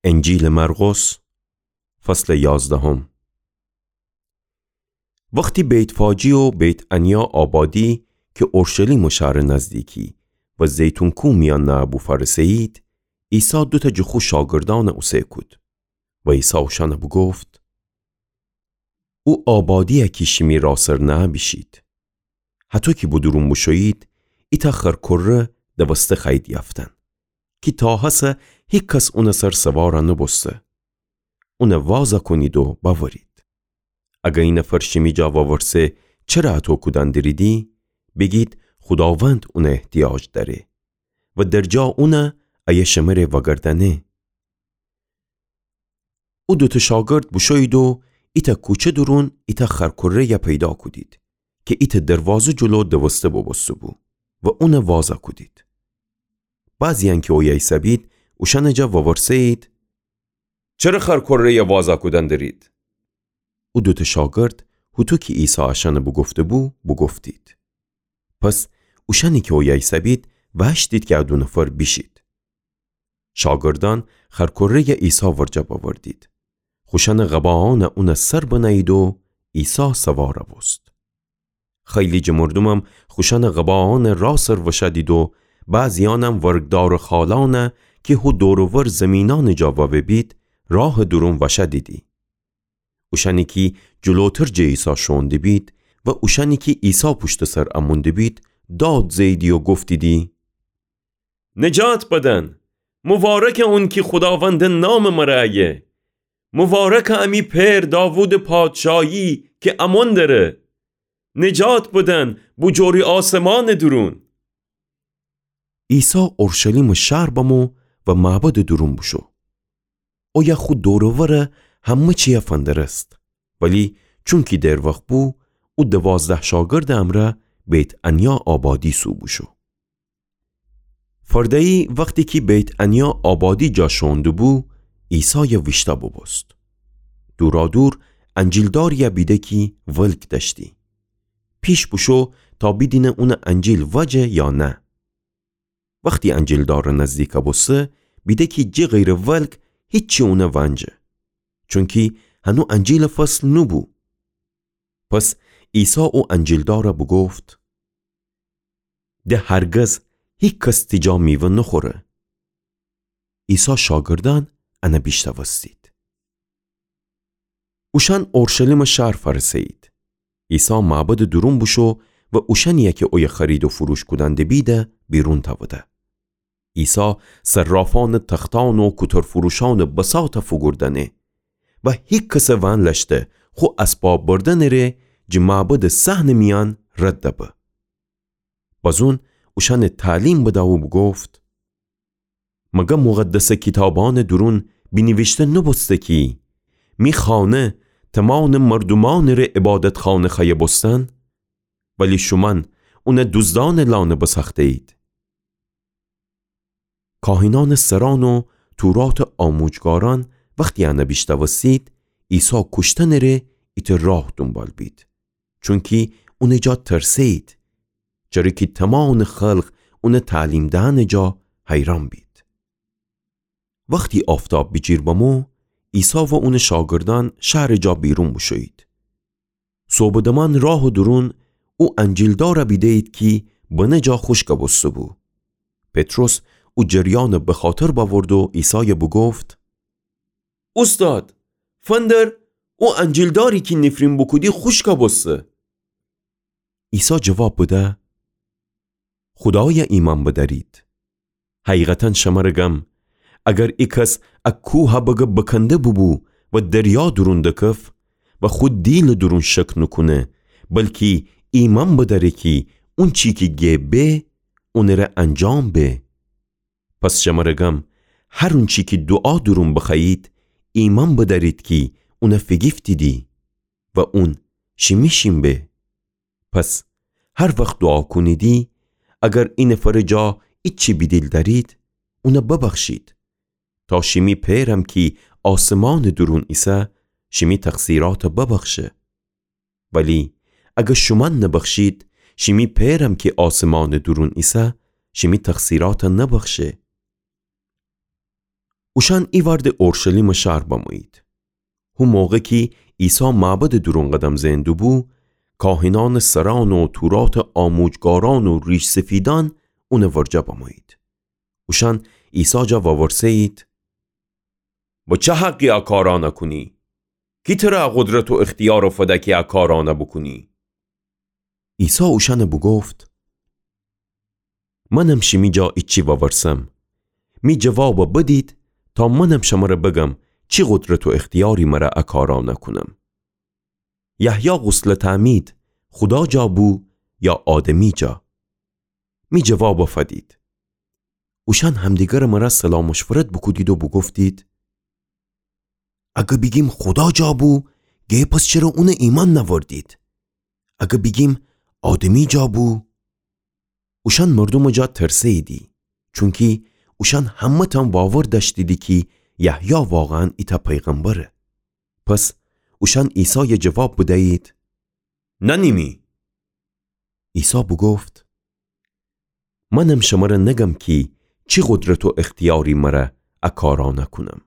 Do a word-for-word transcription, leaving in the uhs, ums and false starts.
انجیلٚ مرقس، فصلٚ یازدهم. وختی بیت‌فاجی و بیت‌عنیا آبادی کی اورشلیمٚ شارٚ نزدیکی و زیتون کوه میأن نأبو فأرسه‌یید، عیسی دوتأ جٚه خو شاگردأنَ اوسه کود و عیسی اوشأنَ بوگفت: او آبادی‌یَ کی شیمی راه سر نأبیشید. هطو کی به دورون بوشویید، ایتأ خرکره دوسته خوأیید یأفتن، کی تا هسه هیکس اونٚ سر سوار نوبوسته. اونَ وازَ کونید و بأورید. اگر اینفر شیمی جا وورسه چره اطو کودن دریدی، بیگید خوداوند اونَ احتیاج دأره و در جا اون ایه شمره وأگردأنه. او دوتأ شاگرد بوشویید و ایتأ کوچه دورون ایتأ خرکره‌یَ پیدا کودید کی ایتأ دروازه جلو دوسته بوبوسته‌بو و اونَ وازَ کودید. بعضی‌یأن کی اویه ایسه‌بید، اوشأنٚ جا وورسه‌یید: چره خرکره‌یَ وازَ کودن درید؟ او دوتأ شاگرد، هوطو کی عیسی اشأنَ بوگفته‌بو، بوگفتید. پس اوشأنی کی اویه ایسه‌بید، وأشتید کی ا دو نفر بیشید. شاگردأن خرکره‌یَ عیسی ورجه بأوردید. خوشأنٚ قباعأنَ اونٚ سر بنه‌یید و عیسی سوار بوست. خیلی جٚه مردومم خوشأنٚ قباعأنٚ راه سر وشأدید و بعضی‌یأنم ورگدارٚ خالأنَ کی هو دور و ور زیمینأنٚ جا ووه‌بید، راهٚ دورون وشأدیدی. اوشأنی کی جلوتر جٚه عیسی شوئون دیبید و اوشأنی کی عیسی پوشتٚ سر امون دیبید، داد زه‌ییدی و گفتیدی: نجات بدن! مبارکه اون کی خوداوندٚ نامٚ مره ایه! مبارکه امی پئر داوودٚ پادشاهی کی امون دره! نجات بدن بوجوری آسمانٚ دورون! عیسی اورشلیمٚ شهر بمو و معبدٚ دورون بوشو. اویه خو دور و ور همه چیَ فندرست. ولی چونکی دیر وخت بو، او دوازده شاگردٚ امرأ بیت‌عنیا آبادی سو بوشو. فرده‌یی وختی کی بیت‌عنیا آبادی جا شوئون دوبو، عیسایَ ویشتأ بوبوست. دورادور انجیلداری‌یَ بیده کی ولگ دأشتی. پیش بوشو تا بیدینه اونٚ انجیل وجه یا نه. وختی انجیلدارٚ نزدیک بوسته، بیده کی جٚه غیرٚ ولگ هیچی اونَ ونجه، چونکی هنو انجیلٚ فصل نوبو. پس عیسی او انجیلدارَ بوگفت: د هرگز هیکس تی جا میوه نوخوره. عیسی شاگردأن انَ بیشنوستید. اوشأن اورشلیمٚ شهر فأرسه‌یید. عیسی معبدٚ دورون بوشو و اوشأنی‌یَ کی اویه خرید و فروش کودن دبیدَ بیرون تأوده. عیسی صرافأنٚ تختأن و کوترفروشأنٚ بساطَ فوگوردأنه و هیکسٚ ونلشته خو اسباب بردنٚ ره جٚه معبدٚ صحنٚ میأن رد به. بزون اوشأنَ تعلیم بده و بوگفت: مگر مقدسٚ کیتابأنٚ دورون بینیویشته نوبوسته کی می خانه تومانٚ مردومأنٚ ره عبادتخانه خوأیه بوستن؟ ولی شومأن اونَ دوزدأنٚ لانه بسأخته‌یید. کاهنأنٚ سرأن و توراتٚ آموجگارأن وختی انَ بیشنوستید، عیسی کوشتنٚ ره ایتأ راه دونبال بید، چونکی اونٚ جا ترسه‌یید، چره کی تومانٚ خلق اونٚ تعلیم دئنٚ جا حیرأن بید. وختی آفتاب بیجیر بمو، عیسی و اونٚ شاگردأن شهرٚ جا بیرون بوشویید. صبحٚ دمأن راهٚ دورون او انجیلدارَ بیده‌یید کی بنه جا خوشکَ بوسته‌بو. پطرس او جریأنَ بخاطر بأورد و عیسایَ بوگفت: اوستاد، فندر، او انجیلداری کی نیفرین بوکودی خوشکَ بوسته. عیسی جواب بده: خودایَ ایمأن بدأرید. حقیقتاً شمره گم، اگر ایکس ا کوهَ بگه بکنده بوبو و دریا دورون دکف و خو دیلٚ دورون شک نوکونه، بلکی ایمأن بدأره کی اونچی کی گه به، اونٚ ره انجام به. پس شمره گم، هر اونچی کی دوعا دورون بخوأیید، ایمأن بدأرید کی اونَ فیگیفتیدی و اون شیمی شین به. پس هر وخت دوعا کونیدی، اگر اینفرٚ جا ایچی بیدیل دأرید، اونَ ببخشید، تا شیمی پئرم کی آسمانٚ دورون ایسه، شیمی تقصیراتَ ببخشه. ولی اگر شومأن نبخشید، شیمی پئرم کی آسمانٚ دورون ایسه، شیمی تقصیراتَ نبخشه. اوشأن ایوأر د اورشلیمٚ شهر بمویید. هو موقع کی عیسی معبدٚ دورون قدم زئن دوبو، کاهنأنٚ سرأن و توراتٚ آموجگارأن و ریش‌سفیدأن اونٚ ورجه بمویید. اوشأن عیسی جا وورسه‌یید: به چه حقی ا کارأنَ کونی؟ کی تره ا قدرت و اختیارَ فده کی ا کارأنَ بوکونی؟ عیسی اوشأنَ بوگفت: منم شیمی جا ایچی وورسم، می جوابَ بدید تا منم شمره بگم چی قدرت و اختیاری مره ا کارأنَ کونم. یحیی غسلٚ تعمید خودا جا بو یا آدمی جا؟ می جوابَ فدید. اوشأن همدیگرٚ مره صلاح مشورت بوکودید و بوگفتید: اگه بیگیم خودا جا بو، گه پس چره اونَ ایمأن نأوردید؟ اگه بیگیم آدمی جا بو؟ اوشأن مردومٚ جا ترسه‌ییدی، چونکی اوشأن همه‌تأن واور دأشتیدی کی یحیی واقعاً ایتأ پیغمبره. پس اوشأن عیسایَ جواب بدیید: نأنیمی. عیسی بوگفت: منم شمره نگم کی چی قدرت و اختیاری مره ا کارأنَ کونم.